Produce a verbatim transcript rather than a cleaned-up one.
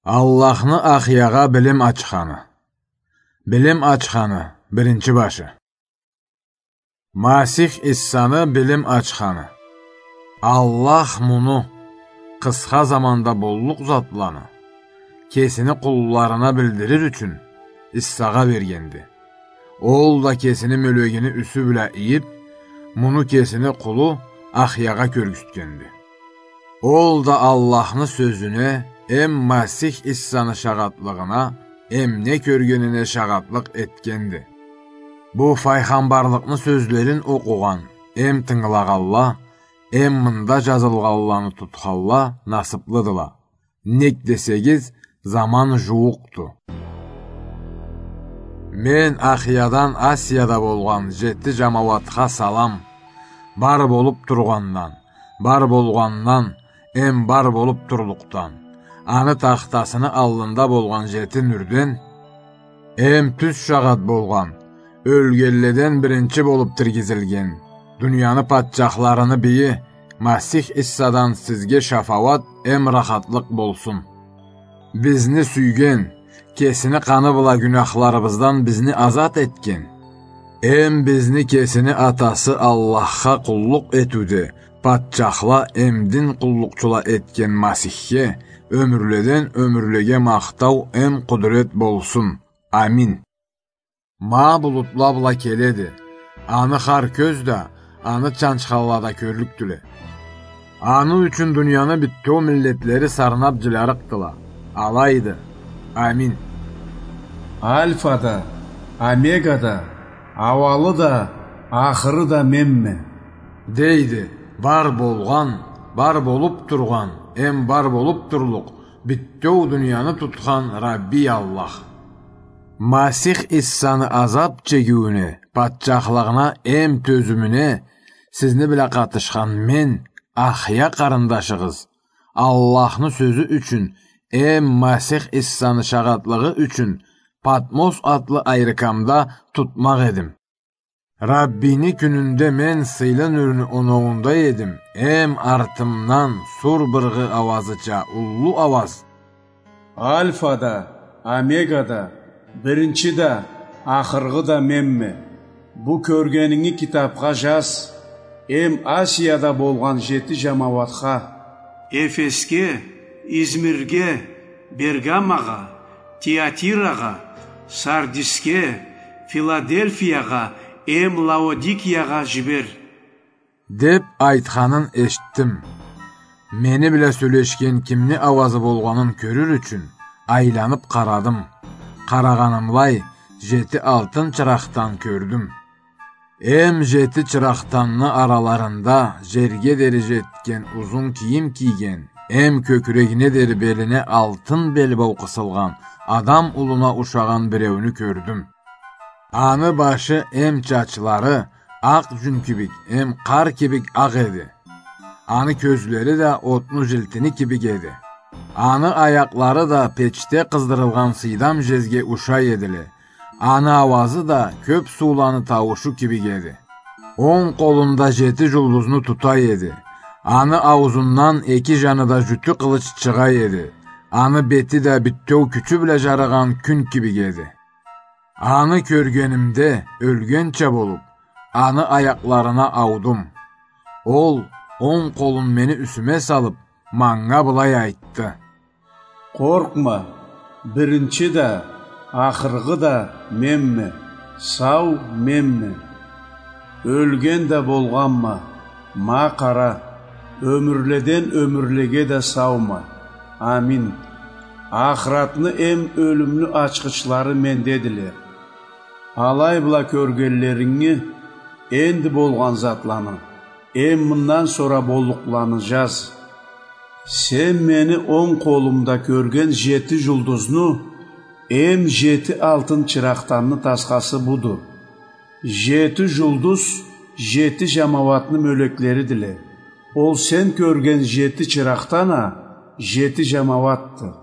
Аллахны Ахъягъа билим ачханы. Билим ачханы, биринчи башы. Масих Иссаны билим ачханы. Аллах муну, къысха заманда боллукъ затланы, кесини къулларына билдирир ючюн, Иссагъа бергенди. Ол да кесини мёлегини юсю бла ийип, муну кесини къулу Ахъягъа кёргюзтгенди. Ол да Аллахны сёзюне эм Масих Иссаны шагъатлыгъына, эм не кёргенине шагъатлыкъ этгенди. Бу файгъамбарлыкъны сёзлерин окъугъан эм тынгылагъанла, эм мында жазылгъанланы тутханла насыплыдыла. Нек десегиз, заман жууукъду. Мен Ахъядан Асияда болгъан жети жамауатха салам. Бар болуп тургъандан, бар болгъандан, эм бар болуп турлукъдан, аны тахтасыны аллында болгъан жети нюрден, эм тюз шагъат болгъан, ёлгенледен биринчи болуп тиргизилген, дунияны патчахларыны бийи Масих Иссадан сизге шафауат эм рахатлыкъ болсун. Бизни сюйген, кесини къаны бла гюнахларыбыздан бизни азат этген, эм бизни кесини Атасы Аллахха къуллукъ этиуде патчахла эм дин къуллукъчула этген Масихге ёмюрледен ёмюрлеге махтау эм къудрет болсун. Амин. Ма булутла бла келеди. Аны хар кёз да, аны чанчханла да кёрлюкдюле. Аны ючюн дунияны бютеу миллетлери сарнап жилярыкъдыла. Алайды. Амин. Альфа да, Омега да, ауалы да, ахыры да менме, дейди бар болгъан, бар болуп тургъан, эм бар болуп турлукъ, бютеу дунияны тутхан Рабби Аллах. Масих Иссаны азап чегиуюне, патчахлыгъына эм тёзюмюне сизни бла къатышхан мен, Ахъя къарындашыгъыз, Аллахны сёзю ючюн эм Масих Иссаны шагъатлыгъы ючюн Патмос атлы айрыкамда тутмакъ эдим. Раббини кюнюнде мен сыйлы нюрню оноуунда эдим, эм артымдан сур быргъы ауазыча уллу ауаз: Альфа да, Омега да, биринчи да, ахыргъы да менме. Бу кёргенинги китапха жаз, эм Асияда болгъан жети жамауатха: Эфесге, Измирге, Бергамагъа, Тиатирагъа, Сардисге, Филадельфиягъа эм Лаодикиягъа жибер, деп айтханын эшитдим. Мени бла сёлешген кимни ауазы болгъанын кёрюр ючюн айланып къарадым. Къарагъанымлай, жети алтын чыракъдан кёрдюм. Эм жети чыракъданны араларында жерге дери жетген узун кийим кийген, эм кёкюрегине дери белине алтын белбау къысылгъан адам улуна ушагъан биреуню кёрдюм. Аны башы эм чачлары акъ жюн кибик, эм къар кибик акъ эди. Аны кёзлери да отну жилтини кибик эди. Аны аякълары да печде къыздырылгъан сыйдам жезге ушай эдиле. Аны ауазы да кёп сууланы тауушу кибик эди. Онг къолунда жети жулдузну тута эди. Аны ауузундан эки жаныда жютю къылыч чыгъа эди. Аны бети да бютеу кючю бла жарыгъан кюн кибик эди. Аны кёргенимде, ёлгенча болуп, аны аякъларына аудум. Ол онг къолун мени юсюме салып, манга былай айтды: Къоркъма, биринчи да, ахыргъы да менме, сау менме. Ёлген да болгъанма, ма къара, ёмюрледен ёмюрлеге да саума. Амин. Ахыратны эм ёлюмню ачхычлары мендедиле. Алай бла кёргенлеринги, энди болгъан затланы, эм мындан сора боллукъланы жаз. Сен мени онг къолумда кёрген жети жулдузну эм жети алтын чыракъданны тасхасы буду. Жети жулдуз жети жамауатны мёлеклеридиле. Ол сен кёрген жети чыракъдан а жети жамауатды.